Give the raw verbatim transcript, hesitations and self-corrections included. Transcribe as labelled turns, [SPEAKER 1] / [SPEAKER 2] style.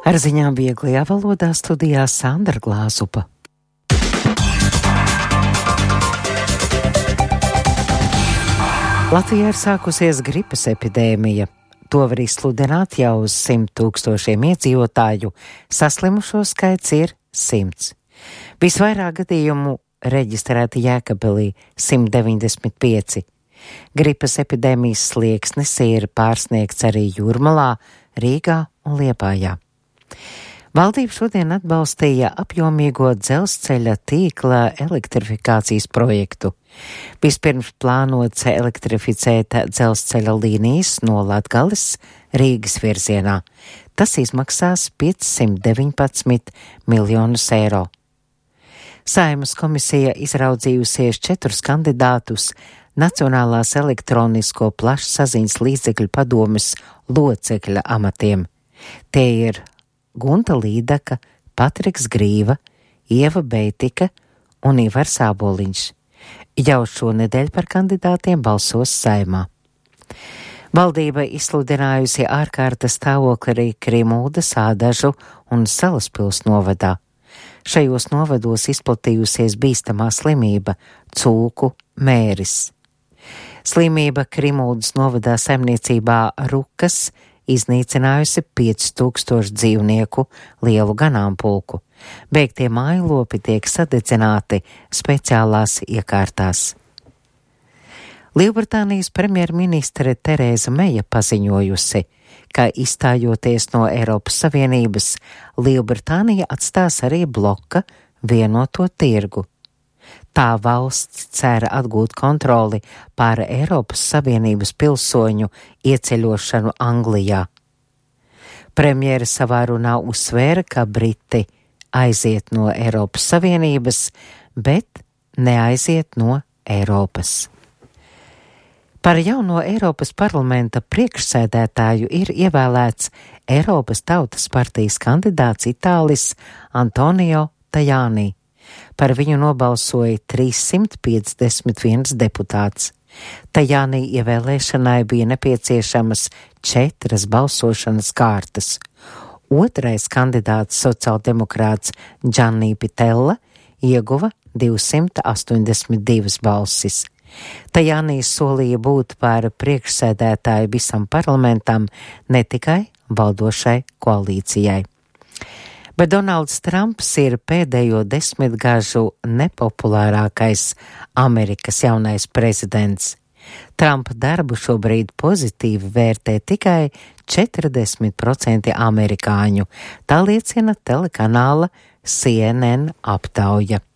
[SPEAKER 1] Ar ziņām vieglajā valodā studijā Sandra Glāzupa. Latvijā ir sākusies gripas epidēmija. To var izsludināt jau uz simt tūkstošiem iedzīvotāju. Saslimušo skaits ir simts. Visvairāk gadījumu reģistrēti Jēkabpilī – simt deviņdesmit pieci. Gripas epidēmijas slieksnis ir pārsniegts arī Jūrmalā, Rīgā un Liepājā. Valdība šodien atbalstīja apjomīgo dzelzceļa tīkla elektrifikācijas projektu. Vispirms plānots elektrificēt dzelzceļa līnijas no Latgales Rīgas virzienā. Tas izmaksās piecsimt deviņpadsmit miljonus eiro. Saeimas komisija izraudzījusies četrus kandidātus Nacionālās elektronisko plašsaziņas līdzekļu padomes locekļa amatiem. Tie ir Gunta Līdaka, Patriks Grīva, Ieva Beitika un Ivars Āboliņš. Jau šonedēļ par kandidātiem balsos Saeimā. Valdība izsludinājusi ārkārtas stāvokli arī Krimuldas, Ādažu un Salaspils novadā. Šajos novados izplatījusies bīstamā slimība – cūku mēris. Slimība Krimuldas novadā saimniecībā Rukas iznīcinājusi pieci tūkstoši dzīvnieku lielu ganāmpulku. Beigtie mājlopi tiek sadedzināti speciālās iekārtās. Lielbritānijas premjerministre Terēza Meja paziņojusi, ka izstājoties no Eiropas Savienības, Lielbritānija atstās arī bloka vienoto tirgu. Tā valsts cer atgūt kontroli pār Eiropas Savienības pilsoņu ieceļošanu Anglijā. Premjere savā runā uzsvēra, ka Briti aiziet no Eiropas Savienības, bet neaiziet no Eiropas. Par jauno Eiropas parlamenta priekšsēdētāju ir ievēlēts Eiropas Tautas partijas kandidāts Itālis Antonio Tajani. Par viņu nobalsoja trīssimt piecdesmit viens deputāts. Tajani ievēlēšanai bija nepieciešamas četras balsošanas kārtas. Otrais kandidāts sociāldemokrāts Gianni Pitella ieguva divsimt astoņdesmit divas balsis. Tajani solīja būt par priekšsēdētāju visam parlamentam, ne tikai valdošai koalīcijai. Bet Donalds Trumps ir pēdējo desmitgažu nepopulārākais Amerikas jaunais prezidents. Trumpa darbu šobrīd pozitīvi vērtē tikai četrdesmit procenti amerikāņu, tā liecina telekanāla C N N aptauja.